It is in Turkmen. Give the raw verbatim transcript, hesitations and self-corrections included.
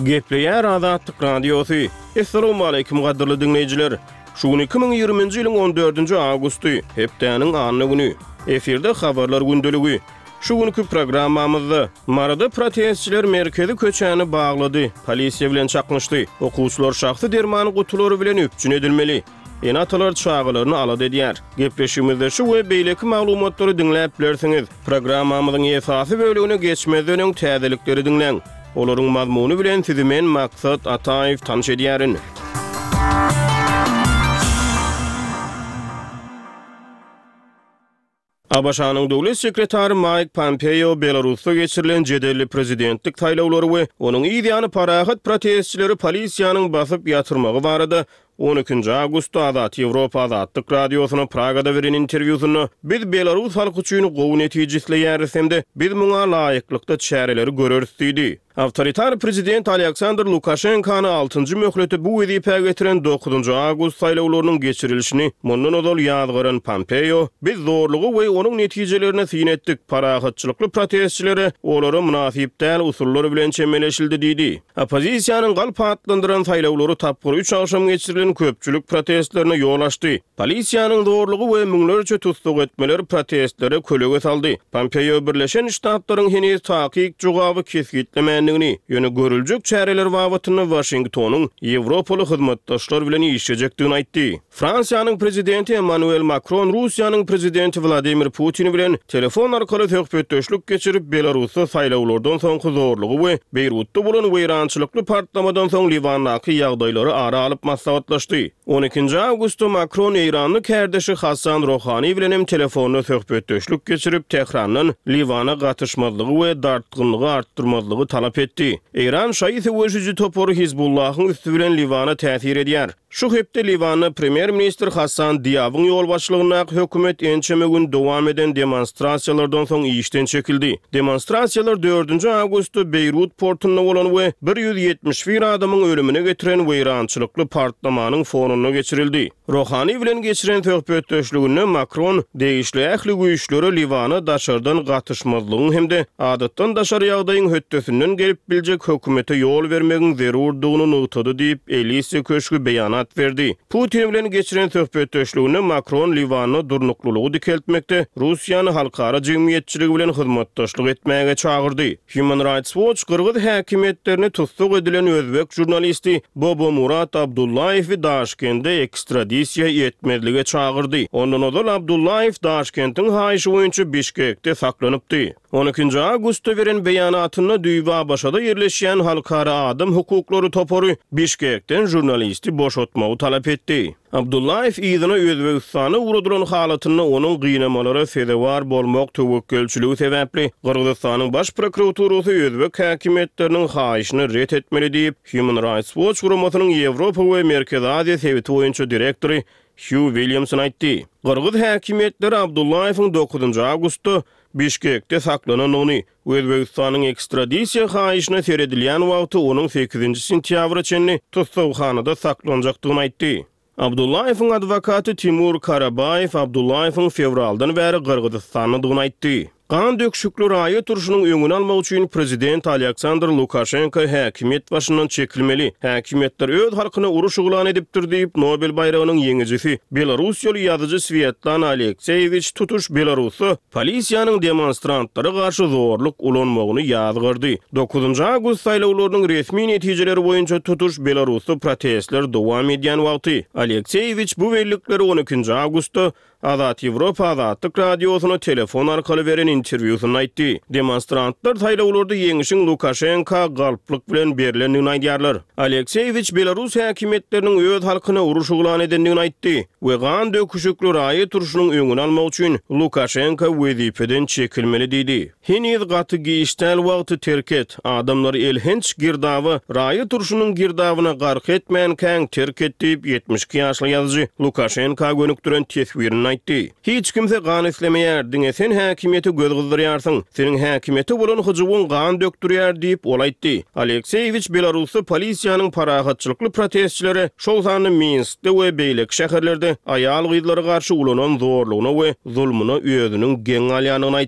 Gepleýär Azatlyk Radiosy. Essalawmaleýkim gadyrly diňleýjiler! Şu gün iki müň ýigriminji ýylyň on dördünji awgusty, hepdäniň anna güni. Efirde Habarlar gündeligi. Şu günki programmamyzda, Maryda protestçiler merkezi köçäni baglady, polisiýa bilen çaknyşdy. Okuwçylar şahsy derman gutulary bilen üpjün edilmeli. Ene-atalar çagalaryny alada edýär. Gepleşigimizde şu we beýleki maglumatlary diňläp bilersiňiz. Programmamyzyň esasy bölegine geçmezden öň täzelikleri diňläň. Olaryň mazmuny bilen sizi men Maksat Ataýew tanyş edýärin. ABŞ-nyň Döwlet sekretary Maýk Pompeo Belarusda geçirilen jedelli prezidentlik saýlawlary we onuň yz ýany parahat protestçileri polisiýanyň basyp ýatyrmagy barada on ikinji awgustda Azat Ýewropa Azatlyk Radiosyna Pragada beren interwýusynda, Biz belarus halky üçin gowy netije isleýäris hem-de biz muňa laýyklykda çäreleri göreris diýdi. Awtoritar prezident Alýaksandr Lukaşenkany altynjy möhlete bu wezipä getiren dokuzynjy awgust saýlawlarynyň geçirilişini mundan ozal ýazgaran Pompeo, Biz zorluga we onuň netijelerine syn etdik, parahatçylykly protestçilere olara mynasyp däl usullar bilen çemeleşildi diýdi. Oppozisiýanyň galp atlandyran saýlawlary tapgyr üç agşam geçirilen köpçülik protestlerine ýol açdy. Polisiýanyň zorlugy we müňlerçe tussag etmeler protestlere kölege saldy. Pompeo Birleşen Ştatlaryň heniz takyk jogaby kesgitlemändigini, ýöne görüljek çäreler babatynda Waşingtonyň ýewropaly hyzmatdaşlar bilen işlejekdigini aýtdy. Fransiýanyň prezidenti Emmanuel Makron Russiýanyň prezidenti Wladimir Putin bilen telefon arkaly söhbetdeşlik geçirip, Belarusda saýlawlardan soňky zorlugy we Beýrutda bolan weýrançylykly partlamadan soň Liwandaky ýagdaýlary ara alyp maslahatlaşdy. On ikinji awgustda Makron eýranly kärdeşi Hassan Rohani bilen hem telefonda söhbetdeşlik geçirip, Tährandan Liwana gatyşmazlygy we dartgynlygy artdyrmazlygy talap etdi. Eýran şaýy söweşiji topary Hizbullahyň üsti bilen Liwana täsir edýär. Şu hepde Liwanda premýer-ministr Hassan Diabyň ýolbaşçylygyndaky hökümet ençeme gün dowam eden demonstrasiýalardan soň işden çekildi. Demonstrasiýalar dördünji awgustda Beýrut portunda bolan we bir ýüz ýetmiş bir adamyň ölümine getiren weýrançylykly partlamanyň fonunda geçirildi. Rohani bilen geçiren söhbetdeşliginde Makron degişli ähli güýçlere Liwana daşardan gatyşmazlygyň hem-de adatdan daşary ýagdaýyň hötdesinden gelip biljek hökümete ýol bermegiň zerurdygyny nygtady diýip, Elise köşgi beýanat berdi. Putin bilen geçiren söhbetdeşliginde Makron Liwanda durnuklylygy dikeltmekde Russiýany halkara jemgyýetçiligi bilen hyzmatdaşlyk etmäge çagyrdy. Human Rights Watch gyrgyz häkimiýetlerini tussag edilen özbek žurnalisti Bobomurat Abdullaýewi Daşkende ekstradisiýa etmezlige çagyrdy. Ondan ozal Abdullaýew Daşkentiň haýyşy boýunça Bişkekde saklanypdy. On ikinji awgustda beren beýanatynda düýbi ABŞ-da ýerleşýän Halkara adam hukuklary topary Bişkekden žurnalisti boşatmagy talap etdi. Abdullaýew yzyna Özbegistana ugradylan halatynda onuň gynamalara sezewar bolmak töwekgelçiligi sebäpli Gyrgyzystanyň Baş prokuraturasy özbek häkimiýetleriniň haýyşyny ret etmeli diýip, Human Rights Watch guramasynyň Ýewropa we Merkezi Aziýa sebiti boýunça direktory Hýu Williamson aýtdy. Gyrgyz häkimiýetleri Abdullaýewiň dokuzynjy awgustda Bişkekde saklanandygyny, Özbegistanyň ekstradisiýa haýyşyna seredilýän wagty onuň sekizinji sentýabra çenli tussaghanada saklanjakdygyny aýtdy. Abdullaýewiň adwokaty Timur Karabaýew Abdullaýewiň fewraldan bäri Gyrgyzystandadygyny aýtdy. Gan döküşikli raýat urşunyň öňüni almak üçin prezident Alýaksandr Lukaşenko häkimiýet başyndan çekilmeli. Häkimiýetler öz halkyna uruş yglan edipdir diýip, Nobel baýragynyň ýeňijisi, belarussiýaly ýazyjy Swýetlana Alekseýewiç tutuş Belarusda polisiýanyň demonstrantlara garşy zorluk ulanmagyny ýazgardy. Dokuzynjy awgust saýlawlarynyň resmi netijeleri boýunça tutuş Belarusda protestler dowam edýän wagty, Alekseýewiç bu bellikleri on ikinji awgustda Azat Ýewropa Azatlyk Radiosyna telefon arkaly beren interwýusynda aýtdy. Demonstrantlar saýlawlarda ýeňişiň Lukaşenka galplyk bilen berlendigini aýdýarlar. Alekseýewiç belarus häkimiýetleriniň öz halkyna uruş yglan edendigini aýtdy we gan döküşikli raýat urşunyň öňüni almak üçin Lukaşenka wezipeden çekilmeli diýdi. Heniz gaty giç däl wagty terk et. Adamlary elhenç girdaba, raýat urşunyň girdabyna gark etmänkäň terk et diýip, ýetmiş iki ýaşly ýazyjy Lukaşenka gönükdiren teswirinde aýtdy. Hiç kimse gan islemeýär, diňe sen häkimiýete göz gyzdyrýarsyň. Seniň häkimiýete bolan hyjuwyň gan dökdürýär diýip, ol aýtdy. Alekseýewiç Belarusda polisiýanyň parahatçylykly protestçilere, şol sanda Minskde we beýleki şäherlerde aýal-gyzlara garşy ulanan zorlugyna we zulmuna özüniň geň galýandygyny aýtdy.